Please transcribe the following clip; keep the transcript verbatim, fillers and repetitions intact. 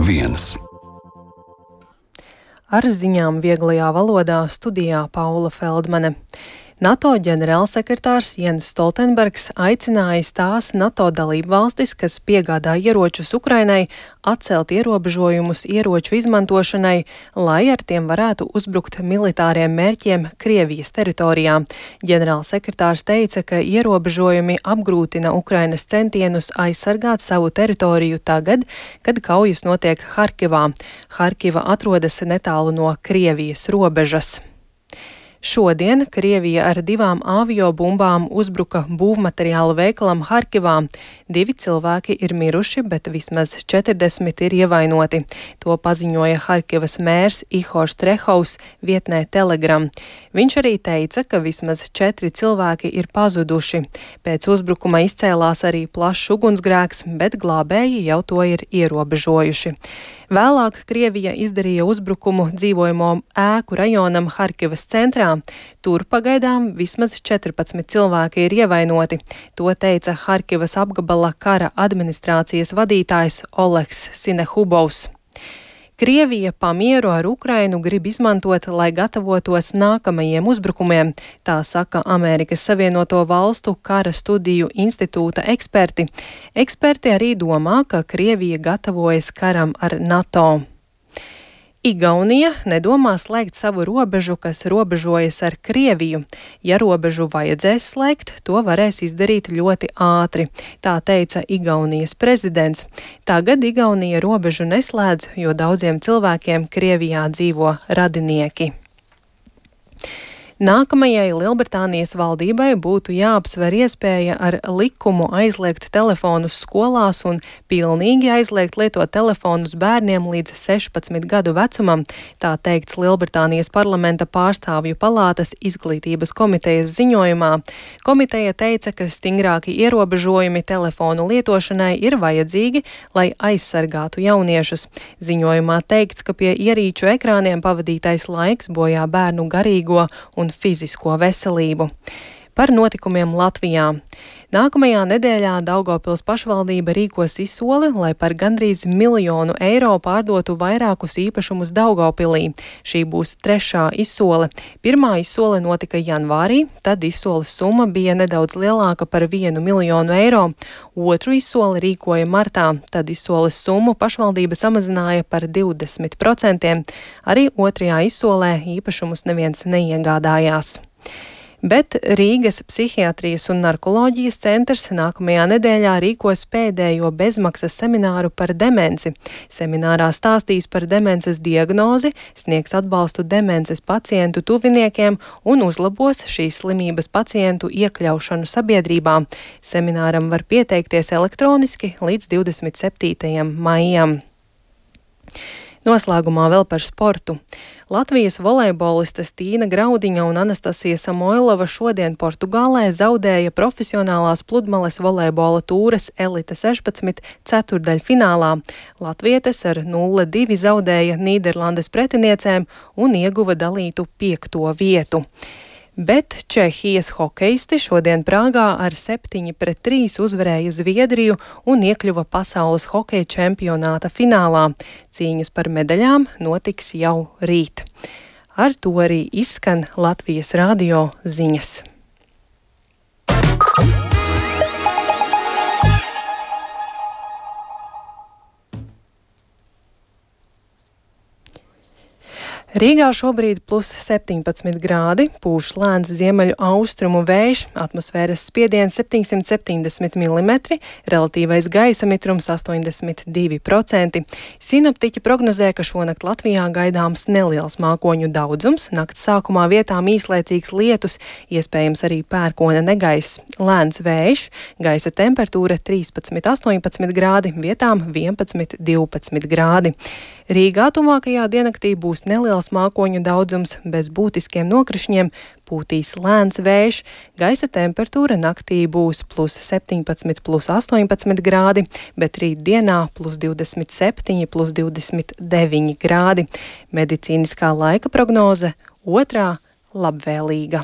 viens. Ar ziņām vieglajā valodā studijā Paula Feldmane. NATO ģenerālsekretārs Jens Stoltenbergs aicinājis tās NATO dalību valstis, kas piegādā ieročus Ukrainai, atcelt ierobežojumus ieroču izmantošanai, lai ar tiem varētu uzbrukt militāriem mērķiem Krievijas teritorijā. Ģenerālsekretārs teica, ka ierobežojumi apgrūtina Ukrainas centienus aizsargāt savu teritoriju tagad, kad kaujas notiek Harkivā. Harkiva atrodas netālu no Krievijas robežas. Šodien Krievija ar divām aviobumbām uzbruka būvmateriālu veikalam Harkivā. Divi cilvēki ir miruši, bet vismaz četrdesmit ir ievainoti. To paziņoja Harkivas mērs Ihors Trehovs vietnē Telegram. Viņš arī teica, ka vismaz četri cilvēki ir pazuduši. Pēc uzbrukuma izcēlās arī plašs ugunsgrēks, bet glābēji jau to ir ierobežojuši. Vēlāk Krievija izdarīja uzbrukumu dzīvojamo ēku rajonam Harkivas centrā. Tur pagaidām vismaz četrpadsmit cilvēki ir ievainoti. To teica Harkivas apgabala kara administrācijas vadītājs Oleks Sinehubovs. Krievija pamieru ar Ukrainu grib izmantot, lai gatavotos nākamajiem uzbrukumiem, tā saka Amerikas Savienoto Valstu kara studiju institūta eksperti. Eksperti arī domā, ka Krievija gatavojas karam ar NATO. Igaunija nedomā slēgt savu robežu, kas robežojas ar Krieviju. Ja robežu vajadzēs slēgt, to varēs izdarīt ļoti ātri, tā teica Igaunijas prezidents. Tagad Igaunija robežu neslēdz, jo daudziem cilvēkiem Krievijā dzīvo radinieki. Nākamajai Lielbritānijas valdībai būtu jāapsver iespēja ar likumu aizliegt telefonus skolās un pilnīgi aizliegt lietot telefonus bērniem līdz sešpadsmit gadu vecumam, tā teikts Lielbritānijas parlamenta pārstāvju palātas izglītības komitejas ziņojumā. Komiteja teica, ka stingrāki ierobežojumi telefonu lietošanai ir vajadzīgi, lai aizsargātu jauniešus. Ziņojumā teikts, ka pie ierīču ekrāniem pavadītais laiks bojā bērnu garīgo un fizisko veselību. Par notikumiem Latvijā. Nākamajā nedēļā Daugavpils pašvaldība rīkos izsoli, lai par gandrīz miljonu eiro pārdotu vairākus īpašumus Daugavpilī. Šī būs trešā izsole. Pirmā izsole notika janvārī, tad izsoles summa bija nedaudz lielāka par vienu miljonu eiro. Otru izsoli rīkoja martā, tad izsoles summu pašvaldība samazināja par divdesmit procentiem. Arī otrajā izsolē īpašumus neviens neiegādājās. Bet Rīgas psihiatrijas un narkoloģijas centrs nākamajā nedēļā rīkos pēdējo bezmaksas semināru par demenci. Seminārā stāstīs par demences diagnozi, sniegs atbalstu demences pacientu tuviniekiem un uzlabos šīs slimības pacientu iekļaušanu sabiedrībā. Semināram var pieteikties elektroniski līdz divdesmit septītajam maijam. Noslēgumā vēl par sportu. Latvijas volejbolistes Tīna Graudiņa un Anastasija Samoilova šodien Portugālē zaudēja profesionālās pludmales volejbola tūres Elite sešpadsmit ceturdaļfinālā. Latvietes ar nulle divi zaudēja Nīderlandes pretiniecēm un ieguva dalītu piekto vietu. Bet Čehijas hokeisti šodien Prāgā ar septiņi pret trīs uzvarēja Zviedriju un iekļuva pasaules hokeja čempionāta finālā. Cīņas par medaļām notiks jau rīt. Ar to arī izskan Latvijas radio ziņas. Rīgā šobrīd plus septiņpadsmit grādi, pūš lēns ziemeļu austrumu vējš, atmosfēras spiediens septiņsimt septiņdesmit milimetri, relatīvais gaisa mitrums astoņdesmit divi procenti. Sinoptiķi prognozē, ka šonakt Latvijā gaidāms neliels mākoņu daudzums, nakts sākumā vietām īslaicīgs lietus, iespējams arī pērkona negaiss, lēns vējš, gaisa temperatūra trīspadsmit astoņpadsmit grādi, vietām vienpadsmit divpadsmit grādi. Rīgā tuvākajā diennaktī būs neliels mākoņu daudzums, bez būtiskiem nokrišņiem, pūtīs lēns vējš, gaisa temperatūra naktī būs plus septiņpadsmit, plus astoņpadsmit grādi, bet rīt dienā plus divdesmit septiņi, plus divdesmit deviņi grādi. Medicīniskā laika prognoze otrā labvēlīga.